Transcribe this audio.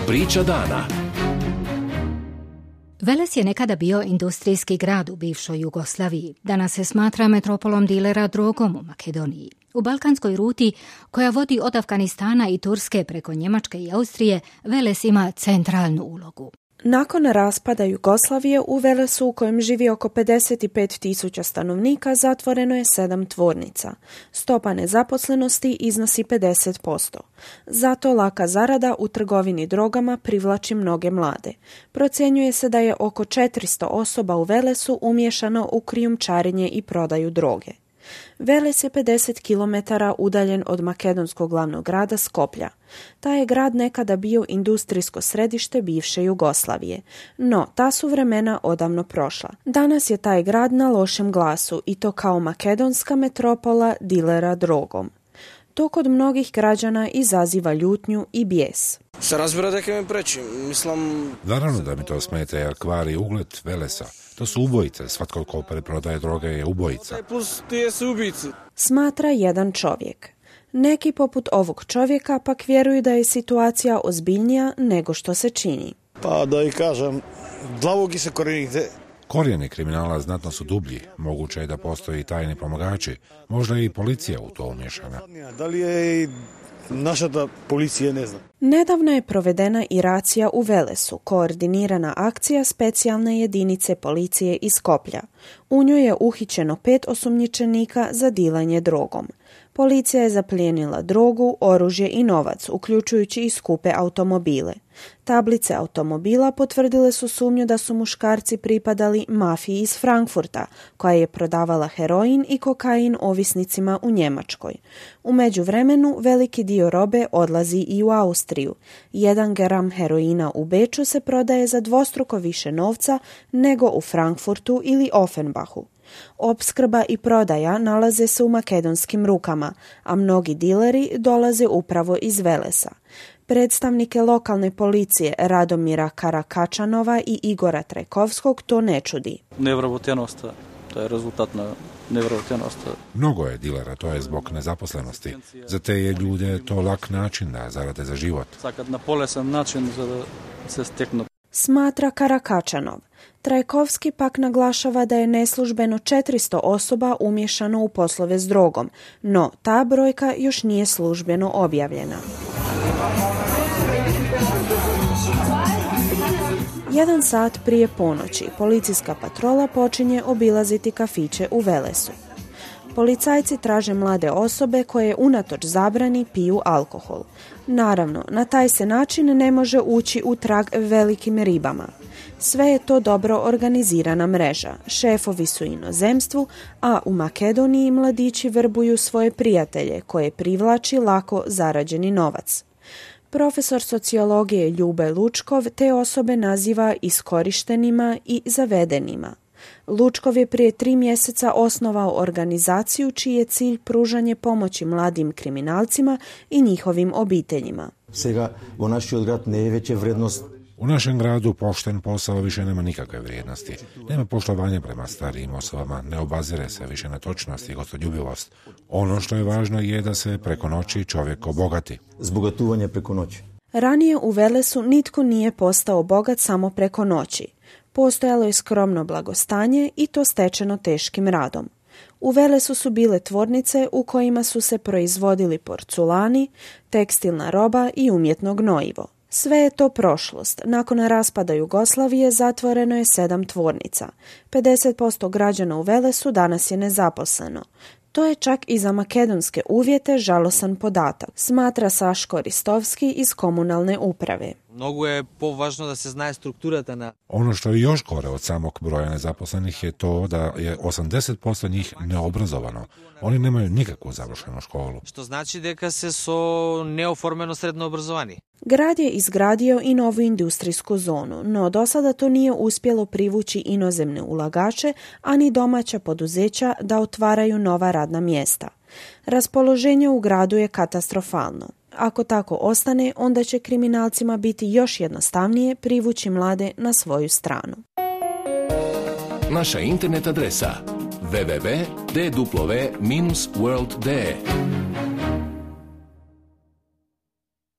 Priča dana. Veles je nekada bio industrijski grad u bivšoj Jugoslaviji. Danas se smatra metropolom dilera drogom u Makedoniji. U balkanskoj ruti, koja vodi od Afganistana i Turske preko Njemačke i Austrije, Veles ima centralnu ulogu. Nakon raspada Jugoslavije u Velesu, u kojem živi oko 55.000 stanovnika, zatvoreno je 7 tvornica. Stopa nezaposlenosti iznosi 50%. Zato laka zarada u trgovini drogama privlači mnoge mlade. Procjenjuje se da je oko 400 osoba u Velesu umiješano u krijumčarenje i prodaju droge. Veles je 50 km udaljen od makedonskog glavnog grada Skoplja. Taj je grad nekada bio industrijsko središte bivše Jugoslavije, no ta su vremena odavno prošla. Danas je taj grad na lošem glasu i to kao makedonska metropola dilera drogom. To kod mnogih građana izaziva ljutnju i bijes. Se razbira da me preći, mislim... Naravno da mi to smeta jer kvari ugled Velesa. To su ubojice, svatko ko preprodaje droge je ubojica. Plus ti su ubici. Smatra jedan čovjek. Neki poput ovog čovjeka pak vjeruju da je situacija ozbiljnija nego što se čini. Pa da i kažem, dlavogi se korijenite. Korijeni kriminala znatno su dublji. Moguće je da postoji tajni pomagači. Možda je i policija u to umješana. Da li je i naša da policija ne zna. Nedavno je provedena i racija u Velesu, koordinirana akcija specijalne jedinice policije iz Skoplja. U njoj je uhićeno 5 osumnjičenika za dilanje drogom. Policija je zaplijenila drogu, oružje i novac, uključujući i skupe automobile. Tablice automobila potvrdile su sumnju da su muškarci pripadali mafiji iz Frankfurta, koja je prodavala heroin i kokain ovisnicima u Njemačkoj. U međuvremenu veliki dio robe odlazi i u Austriju. 1 gram heroina u Beču se prodaje za dvostruko više novca nego u Frankfurtu ili Offenbachu. Opskrba i prodaja nalaze se u makedonskim rukama, a mnogi dileri dolaze upravo iz Velesa. Predstavnike lokalne policije Radomira Karakačanova i Igora Trajkovskog to ne čudi. Nevravotjenost, to je rezultat na nevravotjenost. Mnogo je dilera, to je zbog nezaposlenosti. Za te je ljude to lak način da zarade za život. Sakad na polesan način za da se steknu. Smatra Karakačanov. Trajkovski pak naglašava da je neslužbeno 400 osoba umješano u poslove s drogom, no ta brojka još nije službeno objavljena. 1 sat prije ponoći policijska patrola počinje obilaziti kafiće u Velesu. Policajci traže mlade osobe koje unatoč zabrani piju alkohol. Naravno, na taj se način ne može ući u trag velikim ribama. Sve je to dobro organizirana mreža. Šefovi su u inozemstvu, a u Makedoniji mladići vrbuju svoje prijatelje koje privlači lako zarađeni novac. Profesor sociologije Ljube Lučkov te osobe naziva iskorištenima i zavedenima. Lučkov je prije 3 mjeseca osnovao organizaciju čiji je cilj pružanje pomoći mladim kriminalcima i njihovim obiteljima. Сега во нашиот град не е веќе вредност. U našem gradu pošten posao više nema nikakve vrijednosti. Nema poštovanja prema starijim osobama, ne obazire se više na točnost i gostoljubivost. Ono što je važno je da se preko noći čovjek obogati. Збогатување преко ноќ. Ranije u Velesu nitko nije postao bogat samo preko noći. Postojalo je skromno blagostanje i to stečeno teškim radom. U Velesu su bile tvornice u kojima su se proizvodili porculani, tekstilna roba i umjetno gnojivo. Sve je to prošlost. Nakon raspada Jugoslavije zatvoreno je 7 tvornica. 50% građana u Velesu danas je nezaposleno. To je čak i za makedonske uvjete žalosan podatak, smatra Saško Ristovski iz komunalne uprave. Mnogo je považno da se znaje strukturata na... Ono što je još gore od samog broja nezaposlenih je to da je 80% njih neobrazovano. Oni nemaju nikakvu završenu školu. Što znači дека се со неоформено средно образование. Grad je izgradio i novu industrijsku zonu, no do sada to nije uspjelo privući inozemne ulagače, ani domaća poduzeća da otvaraju nova radna mjesta. Raspoloženje u gradu je katastrofalno. Ako tako ostane, onda će kriminalcima biti još jednostavnije privući mlade na svoju stranu. Naša internet adresa www.dw-world.de